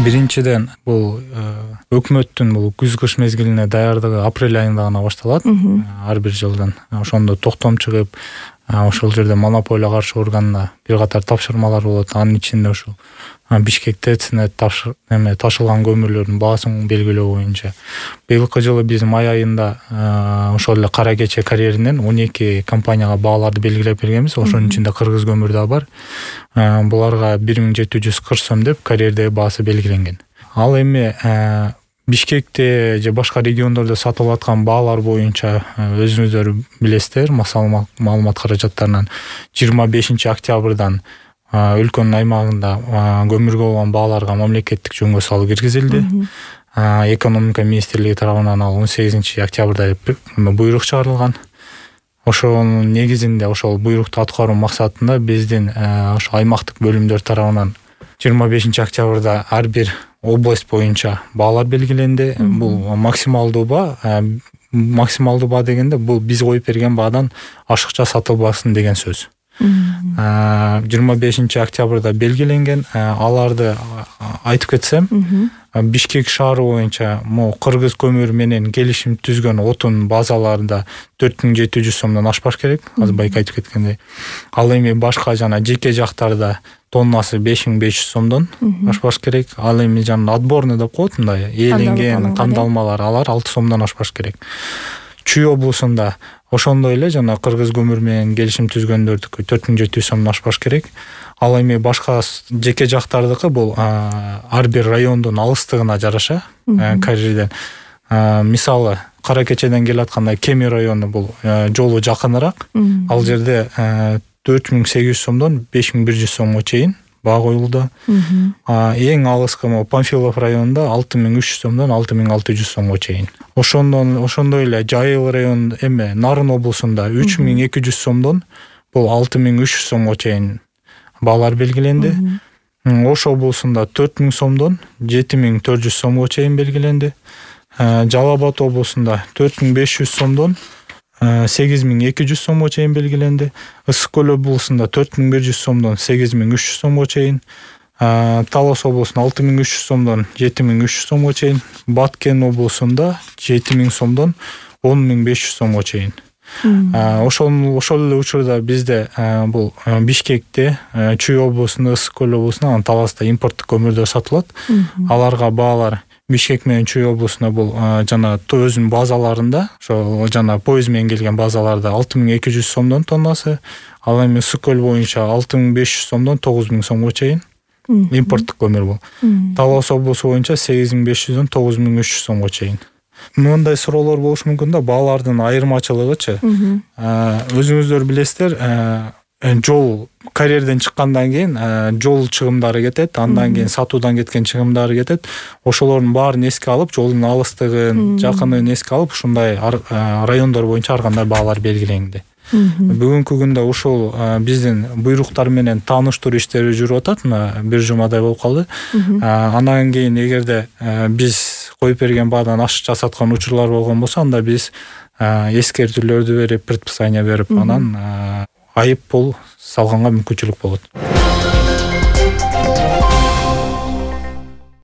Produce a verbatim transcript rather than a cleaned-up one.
Биринчиден бул өкмөттүн бул күз-кыш мезгилине даярдыгы апрель айында гана башталат. Ар бир жылдан ошондо токтом чыгып, ошол жерде монополия каршы органына бир катар тапшырмалар болот. Анын ичинде ушул Бишкекте цнет эме ташылган көмүрлөрдүн баасын белгилөө боюнча быйылкы жылы биз май айында ошол эле Кара Кече карьеринен он эки компанияга бааларды белгилеп бергенбиз. Ошонун ичинде кыргыз көмүр да бар. Буларга бир миң жети жүз кырк сом деп карьердеги баасы белгиленген. Ал эми Бишкекте же башка региондордо сатылып аткан баалар боюнча өзүңүздөр билесиздер, маалымат каражаттарынан жыйырма бешинчи октябрдан өлкөнүн аймагында көмүргө болгон бааларга мамлекеттик жөнгө салуу киргизилди. Экономика министрлиги тарабынан ал он сегизинчи октябрда буйрук чыгарылган. Ошонун негизинде ошол буйрукту аткаруу максатында биздин ошо аймактык бөлүмдөр тарабынан жыйырма бешинчи октябрда ар бир область боюнча баалар белгиленди. Бул максималдуу баа. Максималдуу баа дегенде бул биз коюп берген баадан ашыкча сатылбасын деген сөз. жыйырма бешинчи октябрда белгиленген. Аларды айтып кетсем, Бишкек шаары боюнча могу кыргыз көмүр менен келишим түзгөн отун базаларында төрт миң жети жүз сомдон ашпаш керек. Азыр байка айтып кеткендей. Ал эми башка жана жеке жактарда тоннасы беш миң беш жүз сомдон ашпаш керек. Ал эми жана отборный деп коет, мындай ээленген тандалмалар, алар алты сомдон ашпаш керек. Чүй облусунда ошондой эле жана кыргыз көмүр менен келишим түзгөндөрдүкү төрт миң жети жүз сомдон ашпаш керек. Ал эми башка жеке жактардыкы бул ар бир райондун алыстыгына жараша карьерден. Мисалы Кара Кечеден келатканда Кеми району бул жолу жакыныраак. Ал жерде төрт миң сегиз жүз сомдон беш миң бир жүз сомго чейин баа коюлду. Эң алыскы Панфилов районунда алты миң үч жүз сомдон алты миң алты жүз сомго чейин. Ошондон ошондой эле Жайыл району эме Нарын облусунда үч миң эки жүз сомдон бул алты миң үч жүз сомго чейин баалар белгиленди. Ош облусунда төрт миң сомдон жети миң төрт жүз сомго чейин белгиленди. Жалал Абад облусунда төрт миң беш жүз сомдон сегиз миң эки жүз сомго чейин белгиленди. Ысык көл облусунда төрт миң бир жүз сомдон сегиз миң үч жүз сомго чейин. Талас облусунда алты миң үч жүз сомдон жети миң үч жүз сомго чейин. Баткен облусунда жети миң сомдон он миң беш жүз сомго чейин. Ошол ошол эле учурда бизде бул Бишкекте, Чүй облусунда, Ысык көл облусунда, анан Таласта импорттук көмүрдөр сатылат. Аларга баалар Бишкек менен Чүй облусунда бул жана өзүнүн базаларында, ошо жана поезд менен келген базаларда алты миң эки жүз сомдон тоннасы. Ал эми Ысык көл боюнча алты миң беш жүз сомдон тогуз миң сомго чейин импорттук көмүр бул. Талас облусу боюнча сегиз миң беш жүздөн тогуз миң үч жүз сомго чейин. Мындай суроолор болушу мүмкүн да, баалардын айырмачылыгычы. Өзүңүздөр билесиздер, жол карьерден чыккандан кийин жол чыгымдары кетет, андан кийин сатуудан кеткен чыгымдары кетет. Ошолордун баарын эске алып, жолдун алыстыгын, жакынын эске алып, ушундай райондор боюнча ар кандай баалар белгиленди. Бүгүнкү күндө ушул биздин буйруктар менен тааныштыруу иштери жүрүп атат. Мына бир жумадай болуп калды. Андан кийин эгерде биз коюп берген баадан ашыкча саткан учурлар болгон болсо, анда биз эскертүүлөрдү берип, предписание берип, анан айып пул салганга мүмкүнчүлүк болот.